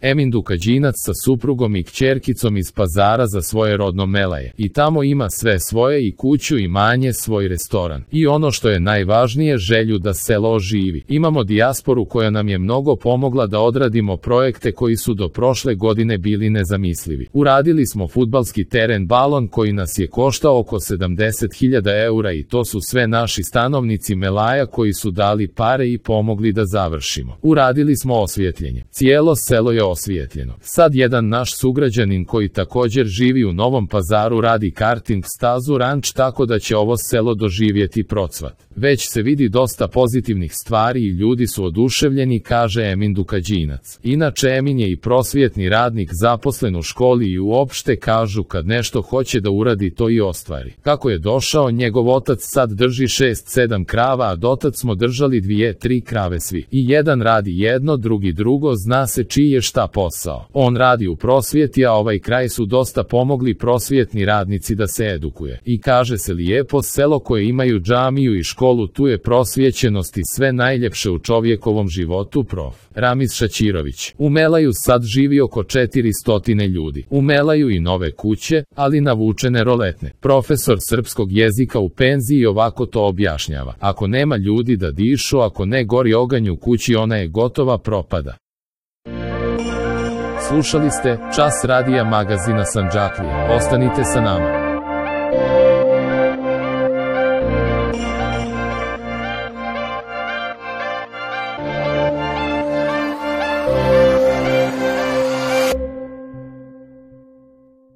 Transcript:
Emin Dukađinac sa suprugom i kćerkicom iz Pazara za svoje rodno Melaje. I tamo ima sve svoje, i kuću, imanje, svoj restoran. I ono što je najvažnije, želju da selo oživi. Imamo dijasporu koja nam je mnogo pomogla da odradimo projekte koji su do prošle godine bili nezamislivi. Uradili smo fudbalski teren Balon koji nas je koštao oko 70.000 eura i to su sve naši stanovnici Melaja koji su dali pare i pomogli da završimo. Uradili smo osvjetljenje. Cijelo selo je osvijetljeno. Sad jedan naš sugrađanin koji također živi u Novom Pazaru radi karting stazu ranč, tako da će ovo selo doživjeti procvat. Već se vidi dosta pozitivnih stvari i ljudi su oduševljeni, kaže Emin Dukađinac. Inače, Emin je i prosvjetni radnik zaposlen u školi i uopšte kažu kad nešto hoće da uradi to i ostvari. Kako je došao, njegov otac sad drži 6-7 krava, a dotad smo držali 2-3 krave svi. I jedan radi jedno, drugi drugo, zna se čiji je šta posao. On radi u prosvjeti, a ovaj kraj su dosta pomogli prosvjetni radnici da se edukuje. I kaže se lijepo, selo koje imaju džamiju i školu, tu je prosvjećenost i sve najljepše u čovjekovom životu. Prof. Ramiz Šaćirović. U Melaju sad živi oko 400 ljudi. U Melaju i nove kuće, ali navučene roletne. Profesor srpskog jezika u penziji ovako to objašnjava. Ako nema ljudi da dišu, ako ne gori oganj u kući, ona je gotova, propada. Slušali ste Čas radija magazina Sandžaklija. Ostanite sa nama.